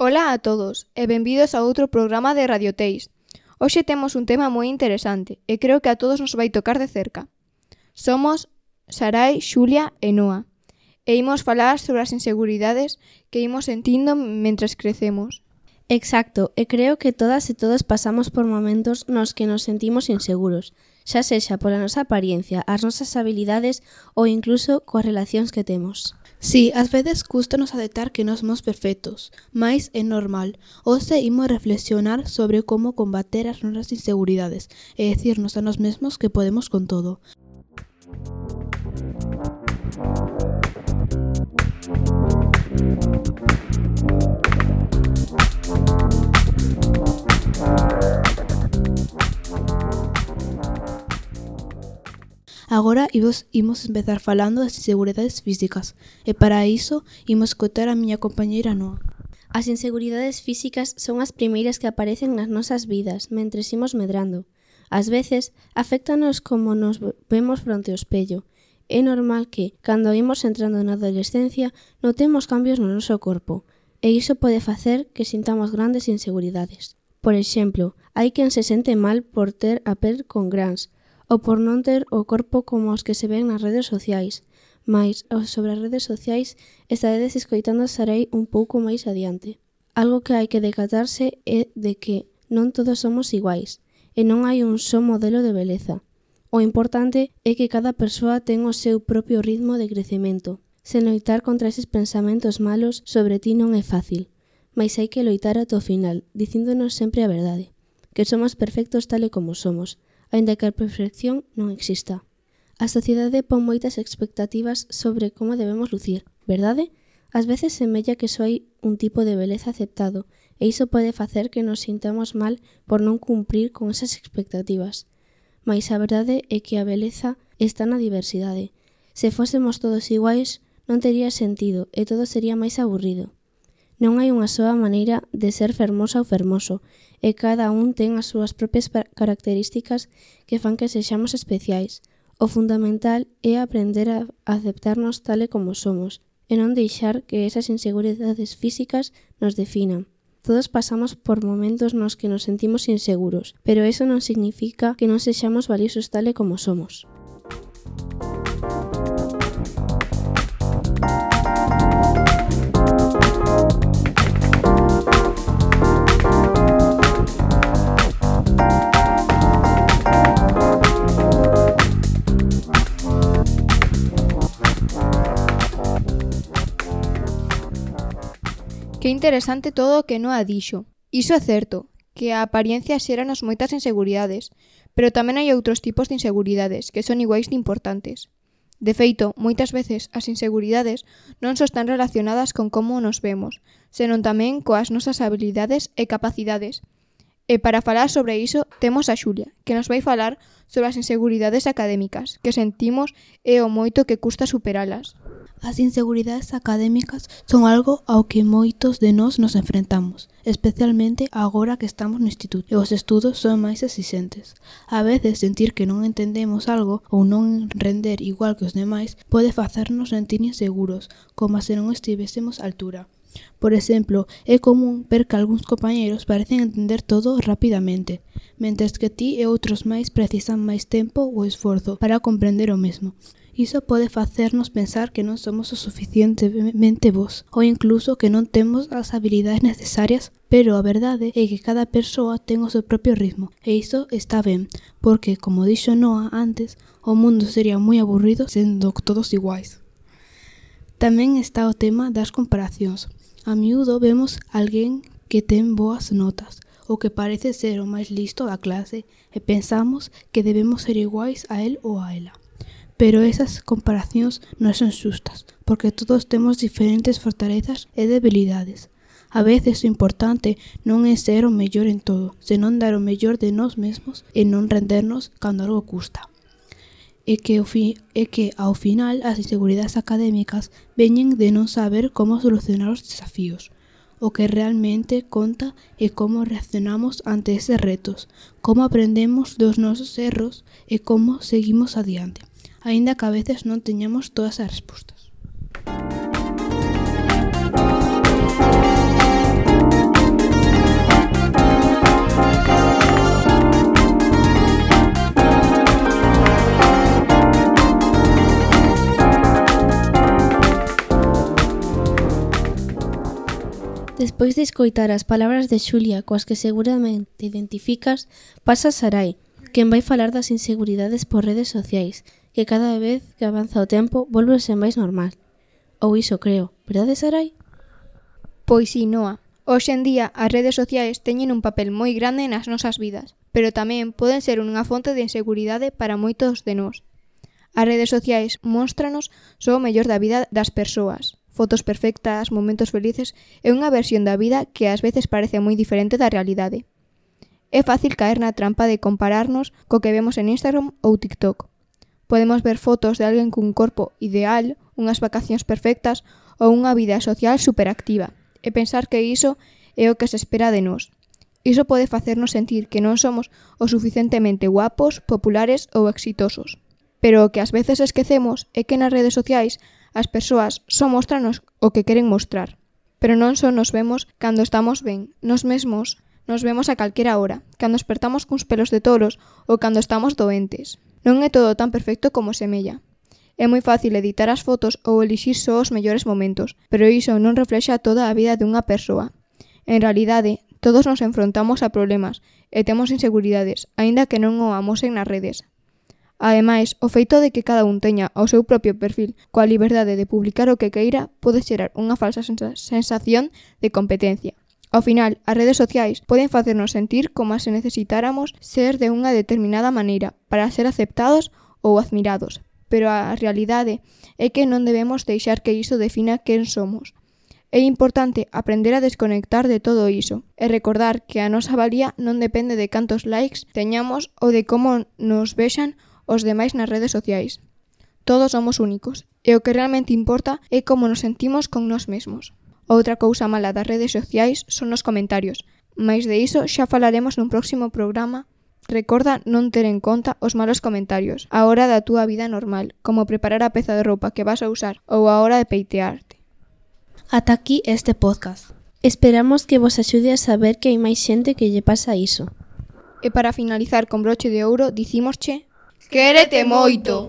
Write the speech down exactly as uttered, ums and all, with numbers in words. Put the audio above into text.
Ola a todos e benvidos a outro programa de Radio Teis. Hoxe temos un tema moi interesante e creo que a todos nos vai tocar de cerca. Somos Sarai, Xulia e Noa e imos falar sobre as inseguridades que imos sentindo mentres crecemos. Exacto, e creo que todas e todos pasamos por momentos nos que nos sentimos inseguros, xa sexa pola nosa apariencia, as nosas habilidades ou incluso coas relacións que temos. Sí, ás veces custanos aceptar que non somos perfectos, mais é normal. Hoxe imos reflexionar sobre como combater as nosas inseguridades e decirnos a nós mesmos que podemos con todo. Agora imos, imos empezar falando das inseguridades físicas e para iso imos escoitar a miña compañeira Noa. As inseguridades físicas son as primeiras que aparecen nas nosas vidas mentres imos medrando. Ás veces, aféctanos como nos vemos fronte ao espello. É normal que, cando imos entrando na adolescencia, notemos cambios no noso corpo, e iso pode facer que sintamos grandes inseguridades. Por exemplo, hai quen se sente mal por ter a pel con grans, ou por non ter o corpo como os que se ven nas redes sociais. Mais, sobre as redes sociais, estaredes escoitando a Sarai un pouco máis adiante. Algo que hai que decatarse é de que non todos somos iguais, e non hai un só modelo de beleza. O importante é que cada persoa ten o seu propio ritmo de crecemento. Sen loitar contra eses pensamentos malos sobre ti non é fácil, mais hai que loitar ata o final, dicíndonos sempre a verdade, que somos perfectos tal e como somos, aínda que a perfección non exista. A sociedade pon moitas expectativas sobre como debemos lucir, verdade? Ás veces semella que só hai un tipo de beleza aceptado e iso pode facer que nos sintamos mal por non cumprir con esas expectativas. Mais a verdade é que a beleza está na diversidade. Se fósemos todos iguais, non tería sentido e todo sería máis aburrido. Non hai unha soa maneira de ser fermosa ou fermoso, e cada un ten as súas propias características que fan que sexamos especiais. O fundamental é aprender a aceptarnos tal e como somos, e non deixar que esas inseguridades físicas nos definan. Todos pasamos por momentos nos que nos sentimos inseguros, pero eso non significa que non sexamos valiosos tal e como somos. Que interesante todo o que Noa dixo. Iso é certo, que a apariencia xéranos moitas inseguridades, pero tamén hai outros tipos de inseguridades que son iguais de importantes. De feito, moitas veces as inseguridades non só están relacionadas con como nos vemos, senón tamén coas nosas habilidades e capacidades. E para falar sobre iso, temos a Xulia, que nos vai falar sobre as inseguridades académicas que sentimos e o moito que custa superalas. As inseguridades académicas son algo ao que moitos de nós nos enfrentamos, especialmente agora que estamos no instituto e os estudos son máis exixentes. A veces sentir que non entendemos algo ou non render igual que os demais pode facernos sentir inseguros, como se non estivésemos á altura. Por exemplo, é común ver que algúns compañeiros parecen entender todo rapidamente, mentres que ti e outros máis precisan máis tempo ou esforzo para comprender o mesmo. Iso pode facernos pensar que non somos o suficientemente bons ou incluso que non temos as habilidades necesarias, pero a verdade é que cada persoa ten o seu propio ritmo e iso está ben, porque, como dixo Noa antes, o mundo sería moi aburrido sendo todos iguais. Tamén está o tema das comparacións. A miúdo vemos alguén que ten boas notas ou que parece ser o máis listo da clase e pensamos que debemos ser iguais a él ou a ela. Pero esas comparacións non son xustas, porque todos temos diferentes fortalezas e debilidades. A veces o importante non é ser o mellor en todo, senón dar o mellor de nós mesmos e non rendernos cando algo custa. E que, o fi, e que ao final as inseguridades académicas veñen de non saber como solucionar os desafíos. O que realmente conta é como reaccionamos ante eses retos, como aprendemos dos nosos erros e como seguimos adiante, aínda que a veces non teñamos todas as respostas. Despois de escoitar as palabras de Xulia coas que seguramente te identificas, pasa Sarai, quen vai falar das inseguridades por redes sociais, que cada vez que avanza o tempo volve ser máis normal. Ou iso creo, verdade, Sarai? Pois si, Noa. Hoxe en día as redes sociais teñen un papel moi grande nas nosas vidas, pero tamén poden ser unha fonte de inseguridade para moitos de nós. As redes sociais móstranos só o mellor da vida das persoas, fotos perfectas, momentos felices e unha versión da vida que ás veces parece moi diferente da realidade. É fácil caer na trampa de compararnos co que vemos en Instagram ou TikTok. Podemos ver fotos de alguén cun corpo ideal, unhas vacacións perfectas ou unha vida social superactiva e pensar que iso é o que se espera de nós. Iso pode facernos sentir que non somos o suficientemente guapos, populares ou exitosos. Pero o que ás veces esquecemos é que nas redes sociais as persoas só mostranos o que queren mostrar. Pero non só nos vemos cando estamos ben, nos mesmos nos vemos a calquera hora, cando espertamos cuns pelos de toros ou cando estamos doentes. Non é todo tan perfecto como semella. É moi fácil editar as fotos ou elixir só os mellores momentos, pero iso non reflexa toda a vida dunha persoa. En realidade, todos nos enfrontamos a problemas e temos inseguridades, aínda que non o amosen nas redes. Ademais, o feito de que cada un teña o seu propio perfil coa liberdade de publicar o que queira pode xerar unha falsa sensación de competencia. Ao final, as redes sociais poden facernos sentir como se necesitáramos ser de unha determinada maneira para ser aceptados ou admirados, pero a realidade é que non debemos deixar que iso defina quen somos. É importante aprender a desconectar de todo iso e recordar que a nosa valía non depende de cantos likes teñamos ou de como nos vexan os demais nas redes sociais. Todos somos únicos e o que realmente importa é como nos sentimos con nós mesmos. Outra cousa mala das redes sociais son os comentarios, mais de iso xa falaremos nun próximo programa. Recorda non ter en conta os malos comentarios á hora da túa vida normal, como preparar a peza de roupa que vas a usar ou a hora de peitearte. Ata aquí este podcast. Esperamos que vos axude a saber que hai máis xente que lle pasa iso. E para finalizar con broche de ouro, dicímosche: quérete moito!